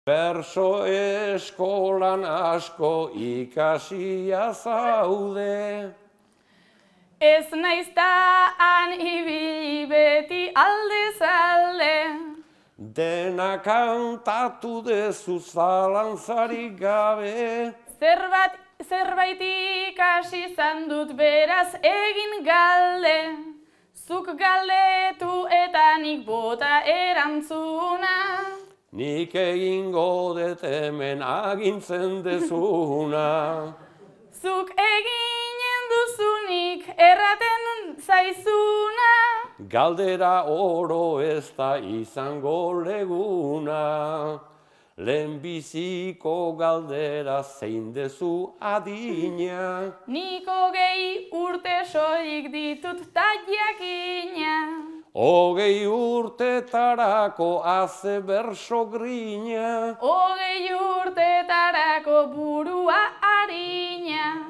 Berso eskolan asko ikasia zaude. Ez naizta han ibili beti aldez alde. Dena kantatu dezu zalantzarik gabe. Zerbait ikasi izan dut beraz egin galde. Zuk galdetu eta nik bota erantzuna. Nik egingo dut hemen agintzen dezuna. Zuk eginen duzunik erraten zaizuna. Galdera oro ez da izango leguna. Lehenbiziko galdera zein dezu adina. Nik 20 urte soilik ditut ta jakina. 20 urtetarako haze berso grina. 20 urtetarako burua harina.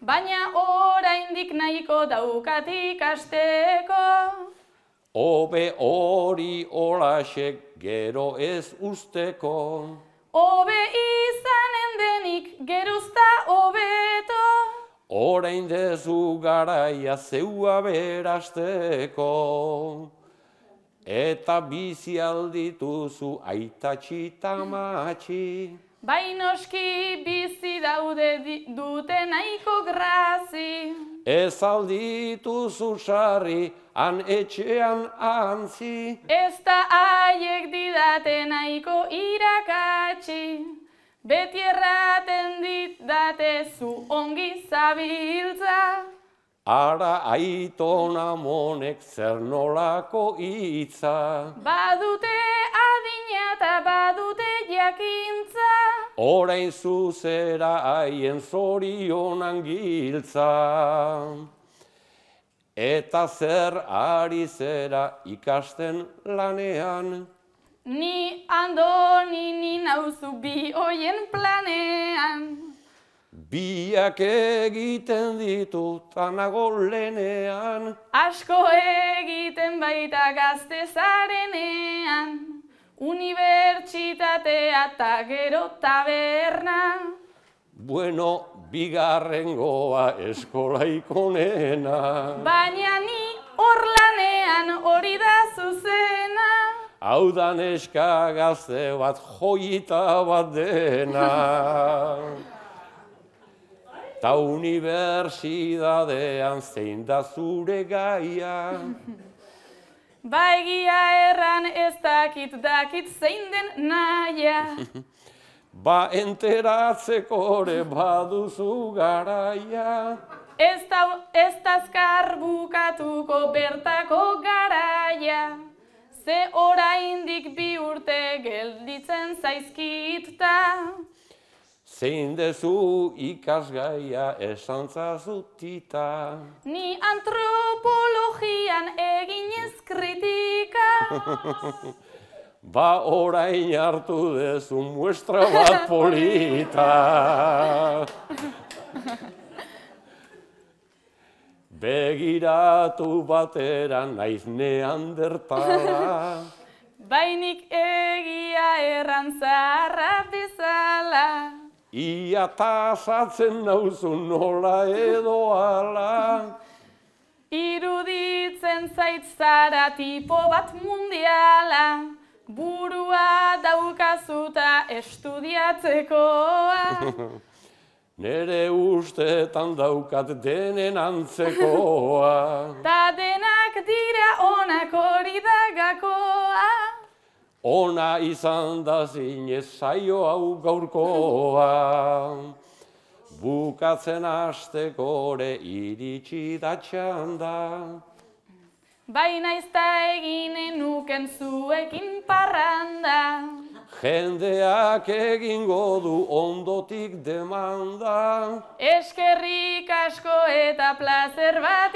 Baina oraindik nahiko daukat ikasteko. Hobe hori holaxek gero ez usteko. Hobe izanen denik gerozta hobeto. Orain dezu garaia zeua berasteko. Eta bizi aldituzu aitatxi tamatxi. Bai noski bizi daude dute nahiko grazi. Ez aldituzu sarri han etxean antzi. Ez da haiek didate nahiko irakatsi. Beti erraten didate zu ongi zabiltza. Ara aiton amonek zer nolako hitza. Badute adina eta badute jakintza. Orain zuzera haien zorionan giltza. Eta zer ari zera ikasten lanean. Ni andoni nauzu bi hoien planean. Biak egiten ditut anago lenean. Asko egiten baita gazte zarenean. Unibertsitatea eta gero taberna. Bueno, bigarrengoa eskolaiko nena. Baina ni hor lanean hori da zuzena. Hau da neska gazte bat joita bat dena. Ta unibertsitatean zein da zure gaia. Ba egia erran ez dakit zein den naia. Ba enteratzeko ere baduzu garaia. Ez da azkar bukatuko bertako garaia. Ze oraindik 2 urte gelditzen zaizkit-ta. Zein dezu ikasgaia esantzazutita. Ni antropologian eginez kritika. Ba orain hartu dezu muestra bat polita. Begiratu batera naiz neandertala. Bainik egia erran zaharra bezala. Ia tasatzen nauzu nola edo ala. Iruditzen zait zara tipo bat mundiala. Burua daukazuta estudiatzekoa. Nere ustetan daukat denen antzekoa. Ta denak dira onak hori da gakoa. Ona izan da zinez saio hau gaurkoa. Bukatzen hasteko ere iritsi da txanda. Baina ez da eginen nuken zuekin parranda. Jendeak egingo du ondotik demanda. Eskerrik asko eta plazer bat